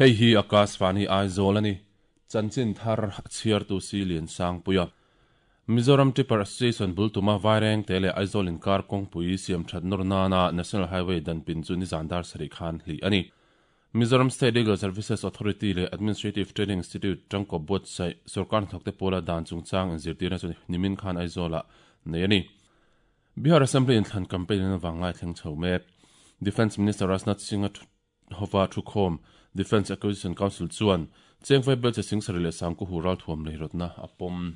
Hei hi Akashvani Aizawl a ni. Chanchin thar a chhiartu si Lian Sangpuia. Mizoram Tipper Association bul tuma Vairengte leh Aizawl inkar kawngpui siam that nawr nana National Highway dan pin chu nizan dar sarih khan hlih a ni. Mizoram State Legal Services Authority leh Administrative Training Institute tangkawp buatsaih sorkar hnathawkte pawla dan chungchang inzirtirna chu nimin khan Aizawlah nei a ni. Bihar Assembly inthlan campaign in avanglai thleng chho mek. Defence Minister Rajnath Singh-a hova thukhawm Defence Acquisition Council chuan Chengvai Belche Singsari leh Sangkuhu ralthuam lei rawtna a pawm.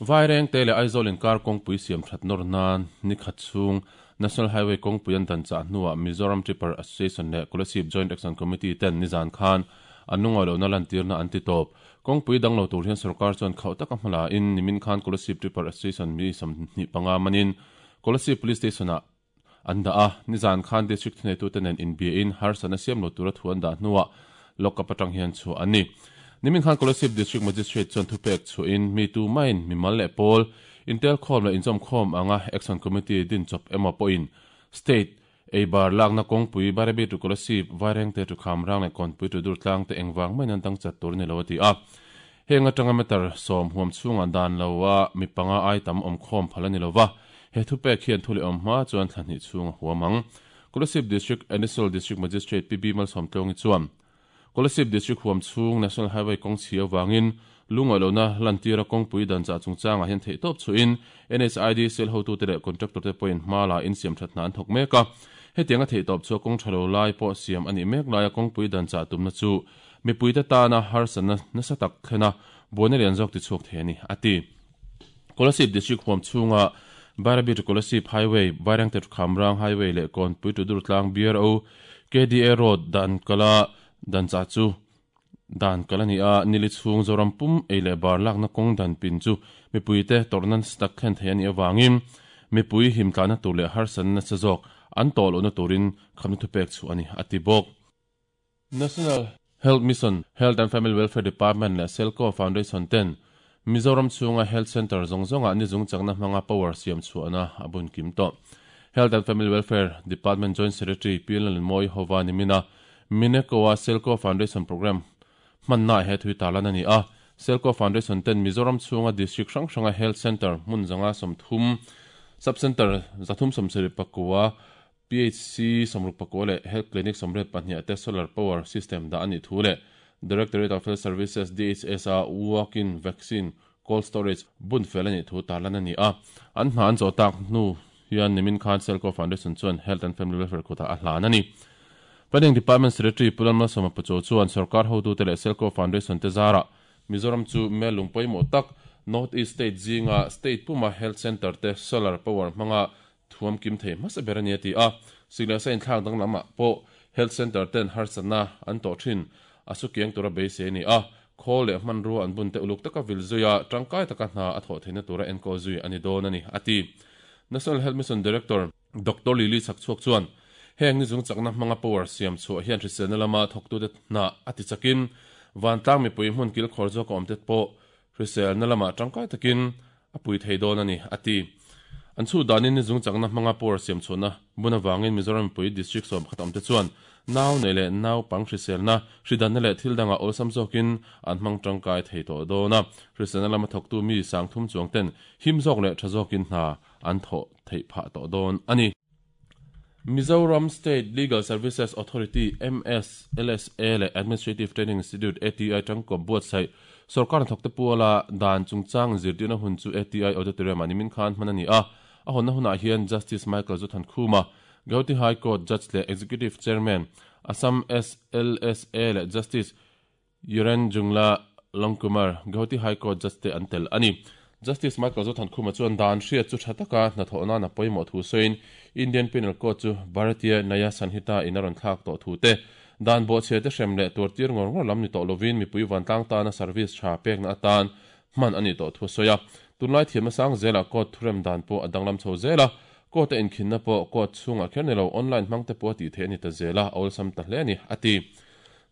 Vairengte leh Aizawl inkar kawngpui siam that nawr nan ni khat chhung National Highway kawngpui an dan chah hnuah Mizoram Tipper Association leh Kolasib Joint Action Committee ten nizan khan an lungawi lohna lantirna an ti tawp. Kawngpui dang lo tur hian sorkar chuan khauh taka hma la in nimin khan Kolasib Tipper Association mi 25 manin Kolasib Police Station-ah an dah a, nizan khan District thuneitute nen inbiain harsatna siam lo tura thu an dah hnuah lockup atang hian chhuah an ni. Nimin khan Kolasib District Magistrate chuan thupek chhuahin mi tu maiin mimal leh pawl, intelkhawm leh inzawmkhawm anga Action Committee din chawp emaw pawhin State eibar lakna kawngpui Bairabi to Kolasib, Vairengte to Khamrang leh Kawnpui to Durtlang te engvang maiin an dang chat tur a ni lo a ti a. Heng atanga meter 10 huam chhungah dan loa mi panga ai tam awm khawm phal a ni lova, he thupek hian thu leh awm hma chuan thla hnih chhung a huam ang. Kolasib District Additional District Magistrate PB Malsawmtluangi chuan, Kolasib District huam chhung National Highway kawng chhi avangin lungawi lohna lantira kawngpui dan chah chungchangah hian theihtawp chhuahin NHID cell hotute leh contractor te pawhin hma la insiam that hna an thawk mek a. Hetianga theihtawp chhuah kawng tha lo lai pawh siam a nih mek laia kawngpui dan chah tumna chu Mipuite tana harsatna nasa tak thlen a, buaina lian zawk tichhuak thei a ni, a ti. Kolasib District huam chhunga Bairabi to Kolasib Highway, Vairengte to Khamrang Highway leh Kawnpui to Durtlang BRO, KDA Road dan kala dan chah chu dan kal a ni a, nili chhung Zoram pum ei leh bar lakna kawng dan pin chu mipuite tawrhna nasa tak thlen thei a nih avangin mipui himtlahna tur leh harsatna nasa zawk an tawh lohna turin khamna thupek chhuah a ni, a ti bawk. National Health Mission, Health and Family Welfare Department leh Selco Foundation ten Mizoram chhunga Health Centre zawng zawngah ni zung chakna hmanga power siam chhuahna a bun kim tawh. Health and Family Welfare Department Joint Secretary Pi Lalnmawii Hova nimina Mineco-a Selco Foundation Programme hmannaah he thui tarlan a ni a. Selco Foundation ten Mizoram chhunga District hrang hranga Health Centre hmun 130, Sub Centre 374, PHC 64 leh Health Clinic 82 te Solar Power System dah a nih thu leh Directorate of Health Services, DHS, a Walk-in Vaccine Cold Storage bun fel a nih thu tarlan a ni a. An hna an zawh tak hnu hian nimin khan Selco Foundation chuan Health and Family Welfare kutah a hlan a ni. Planning Department Secretary Pu Lalmalsawma Pachaw chuan sorkar hotute leh Selco Foundation te zarah Mizoram chu mel lung pawimawh tak North East State zinga State puma Health Centre te Solar Power hmanga Thuam kim thei hmasa ber a ni a ti a, sik leh sa inthlak danglamah pawh Health Centre ten harsatna an tawh thin a su kiang tura beisei a ni a, khawl leh hmanrua an bun te uluk taka vil zui a, tangkai taka hna a thawh theihna tura enkawl zui a ni dawn a ni, a ti. National Health Mission Director Doctor Lily Chhakchhuak chuan, Heng ni chung chakna hmanga power siam chhuah hian hriselna lama thawktute hna a ti chakin vantlang mipui hmun kilkhawr zawka awmte pawh hriselna lamah tangkai takin a pui thei dawn a ni, a ti. An chhuh danin ni zung chakna hmanga power siam chhuahna bun avangin Mizoram mipui district 11 awmte chuan nau nei leh naupang hriselna, hridanna leh thil dangah awlsam zawkin an hmang tangkai thei tawh dawn a. Hriselna lama thawktu mi 3000 chuang ten him zawk leh tha zawkin hna an thawh theih phah tawh dawn a ni. Mizoram State Legal Services Authority, MSLSA, leh Administrative Training Institute, ATI, tangkawp buatsaih sorkar hnathawkte puala dan chungchang inzirtirna hun chu ATI Auditorium-ah nimin khan hman a ni a. A hawnna hunah hian Justice Michael Zothankhuma, Gauhati High Court Judge leh Executive Chairman, Assam SLSA leh Justice Yuren Jungla Longkumar, Gauhati High Court Judge te an tel a ni. Justice Michael Zothankhuma chuan dan hriat chu tha taka hnathawh nana pawimawh thu sawiin Indian Penal Code chu Bharatiya Nyaya Sanhita in a rawn thlak tawh thu te, dan bawhchhia te hrem leh tuartir ngawr ngawr lam ni tawh lovin mipui vantlang tana service tha pekna atan hman a nih tawh thu a sawi a. Tunlai thiamna sang zelah court thurem dan pawh a danglam chho zel a, court a inkhinna pawh court chhungah kher ni lo online hmang te pawh a tih theih a ni ta zel a, a awlsam ta hle a ni, a ti.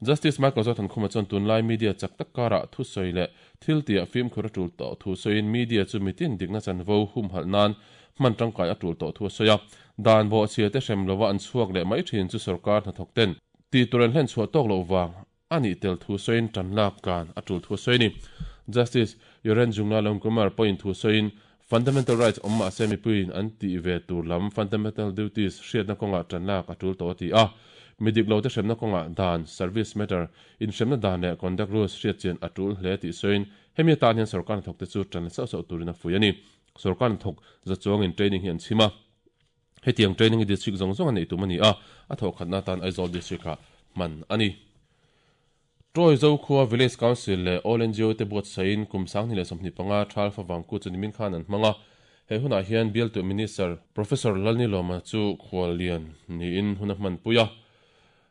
Justice Michael Zothankhuma chuan tunlai media chak tak karah thusawi leh thil tihah fimkhur a tul tawh thu sawiin media chu mitin dikna chanvo humhalh nan hman tangkai a tul tawh thu a sawi a. Dan bawhchhia te hrem lova an chhuak leh mai thin chu sorkar hnathawk ten tih tur an hlen chhuah tawk loh vang. a nih tel thu sawiin tan lak tlan a tul thu a sawi a ni. Justice Yoren Junglal Kumar pawhin thu sawiin Fundamental Rights awm mahse mipuiin an tih ve tur lam Fundamental Duties hriatna kawngah tan lak a tul tawh a ti a. Mi dik lote hremna kawngah dan, Service Matter, inhremna dan leh Conduct Rules hriatchian a tul hle tih sawiin hemi atan hian sorkar hnathawkte chu tan la sauh sauh turin a fuih a ni. Sorkar hnathawk za chuangin training hi an chhim a. Hetiang training hi district zawng zawng a neih tum a ni a, a thawhkhatna atan Aizawl District-ah hman a ni. Troy Zokhua Village Council leh All ngo te buatsaihin kum 2025 Thal Favang Kut chu nimin khan an hmang a. He hunah hian bialtu Minister Professor Lalnilawma chu khuallian niin hun a hmanpui a.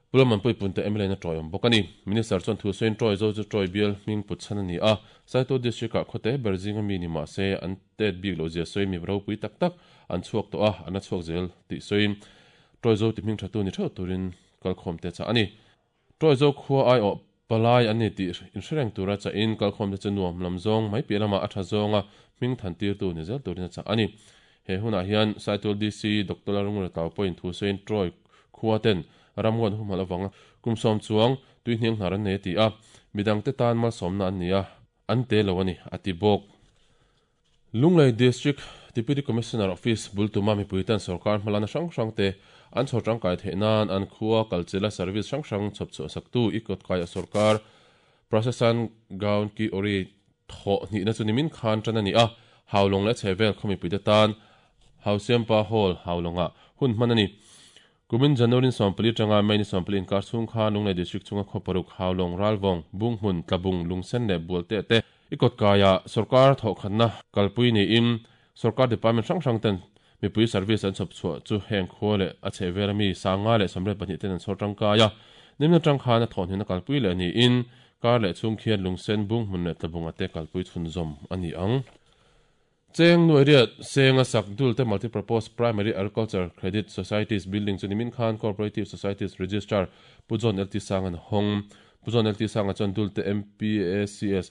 Pu Lalmanpui Punte mla in a tawiawm bawk a ni. Minister chuan thu sawiin Troy Zo chu Troy bial hming put chhan a ni a, Saitual District-ah khawte ber zinga mi ni mah se an tet bik loh zia sawiin mi ropui tak tak an chhuak tawh a, an la chhuak zel tih sawiin Troy Zo ti hming thatu ni theuh turin kalkhawmte chah a ni. Troy Zo khua aiawh palai an ni tih inhre reng tura chahin kalkhawmte chu nuam lam zawng mai piah lamah a tha zawnga hming than tirtu ni zel turin a chah a ni. He hunah hian Saitual DC Doctor Lalrungura Tlau pawhin thu sawiin Troy khua ten ramngawn humhalh avanga kum sawm chuang tui hniang hnar an nei a ti a, midangte tan malsawmna an ni a, an te lo a ni, a ti bawk. Lunglei District Deputy Commissioner Office bul tuma mipui ten sorkar hmalana hrang hrang te an chhawr tangkai theih nan an khua kalchila service hrang hrang chhawp chhuah saktu i kawtkaia sorkar Prasasan Gaon Ki Ori thawh hnihna chu nimin khan tan a ni a, Haulawng leh a chhehvel khaw mipuite tan Hausiampa Hall Haulawngah hun hman a ni. Kumin January 14 atanga May ni 14 inkar chhung khan Lunglei District chhunga khaw paruk Haulawng, Ralvawng, Bunghmun, Tlabung, Lungsen leh Bualte te i kawtkaiah sorkar thawhkhatna kalpui niin sorkar department hrang hrang ten mipui service an chhawp chhuah chu heng khua leh a chhehvel ami 592 ten an chhawr tangkai a. Nimna atang khan a thawhhnihna kalpui leh niin kar leh chhung khian Lungsen, Bunghmun leh Tlabunga te kalpui chhunzawm a ni ang. Cheng Nuairiat Senga sak Dulte Multipurpose Primary Agriculture Credit Societies Building chu nimin khan Cooperative Societies Registrar Pu John LT Sanga'n a hawng. Pu John LT Sanga chuan Dulte MPACS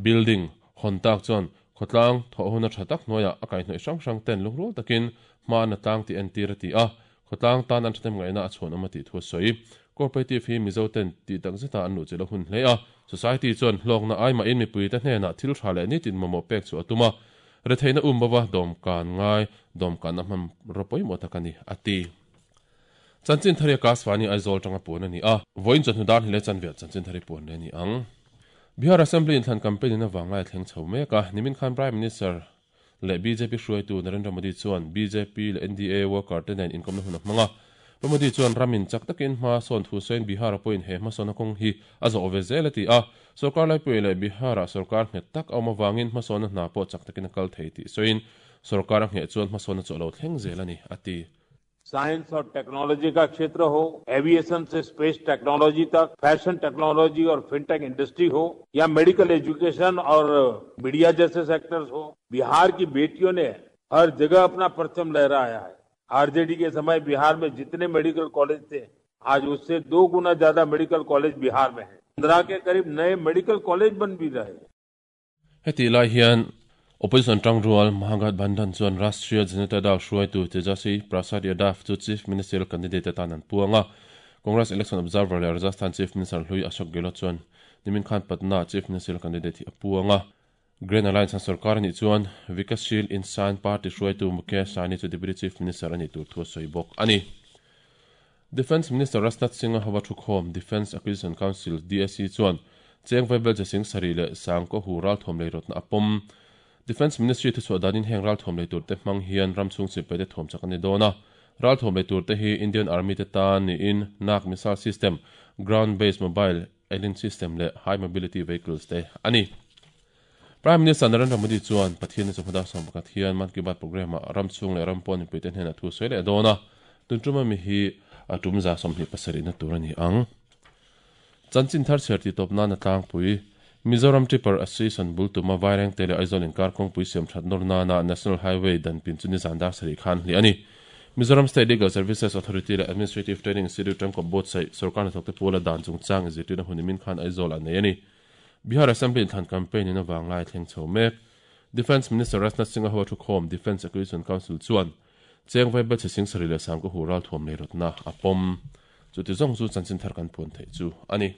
Building hawn tak chuan khawtlang thawh huna tha tak hnuaiah a kaihhnawih hrang hrang ten lungrual takin hma an la tlang tih entir a ti a, khawtlang tan an thahnem ngaihna a chhuanawm a tih thu a sawi. Cooperative hi Mizo ten tih tak zeta an luhchilh a hun hle a, society chuan hlawkna ai mahin mipuite hnenah thil tha leh nitin mamawh pek chu a tum a, retheihna um bova dawmkan ngai dawmkanna hmanraw pawimawh tak a ni, a ti. Chanchin thari a Kasvani Aizawl tanga puan a ni a, vawiin chawhnu dar hni leh chanve chanchin thari puan leh a ni ang. Bihar Assembly inthlan campaign in avang lai a thleng chho mek a, nimin khan Prime Minister leh bjp hruaitu Narendra Modi chuan bjp leh NDA worker te nen inkawmna hun a hmang a. Pu Modi chuan ramin chak takin hma sawn thu sawiin Bihar a pawhin he hmasawnna kawng hi a zawh ve zel a ti a. Sorkar laipui leh Bihar ah sorkar nghet tak a awm avangin hmasawnna hna pawh chak takin a kal thei tih sawiin sorkar a ngheh chuan hmasawnna chu a lo thleng zel a ni, a ti. Science और टेक्नोलॉजी का क्षेत्र हो एविएशन से space technology तक fashion technology और fintech industry हो या medical education और मीडिया जैसे सेक्टर्स हो बिहार की बेटियों ने हर जगह अपना परचम लहराया है आरजेडी के समय बिहार में जितने मेडिकल कॉलेज थे आज उससे दो गुना ज्यादा मेडिकल कॉलेज बिहार में है पंद्रह के करीब नए मेडिकल कॉलेज बन भी रहे हैं Hetih lai hian Opposition tangrual Mahagathbandhan chuan Rashtriya Janata Dal hruaitu Tejaswi Prasad Yadav chu Chief Ministerial candidate atan an puang a. Congress Election Observer leh Rajasthan Chief Minister hlui Ashok Gehlot chuan nimin khan Patna Chief Ministerial candidate hi a puang a. Grand Alliance an sorkar anih chuan Vikassheel Insaan Party hruaitu Mukesh Sahni chu Deputy Chief Minister anih tur thu a sawi bawk a ni. Defence Minister Rajnath Singh-a hova thukhawm Defence Acquisition Council, DAC, chuan Cheng Vaibel Che Singh sarih leh Sang Kaw Hu ralthuam lei rawtna a pawm. Defence Ministry thuchhuah danin heng ralthuam lei turte hmang hian ram chhung sipaite thuam chak a ni dawn a. Ralthuam lei turte hi Indian Army te tan niin Nag Missile System, Ground Based Mobile Alien System leh High Mobility Vehicles te a ni. Prime Minister Narendra Modi chuan Pathian chu hmada 11 hian Mann Ki Baat programme-ah ram chhung leh ram pawn mipuite hnenah thu sawi leh dawn a, tun tuma mi hi a tum za 27 na tur a ni ang. Chanchin thar chhiar tih tawp nana tlangpui, Mizoram Tipper Association bul tuma Vairengte leh Aizawl inkar kawngpui siam that nawr nana National Highway dan pin chu nizan dar sarih khan hliah a ni. Mizoram State Legal Services Authority leh Administrative Training Institute tangkawp buatsaih sorkar hnathawkte pawla dan chungchang inzirtirna hun nimin khan Aizawl ah nei a ni. Bihar Assembly inthlan campaign in avang lai thleng chho mek. Defence Minister Rajnath Singh-a ho a thukhawm Defence Acquisition Council chuan Cheng Vaibel Che Singh sarih leh Sangkaw Hu ralthuam lei rawtna a pawm. Chuti zawng chu chanchin thar kan puan theih chu a ni.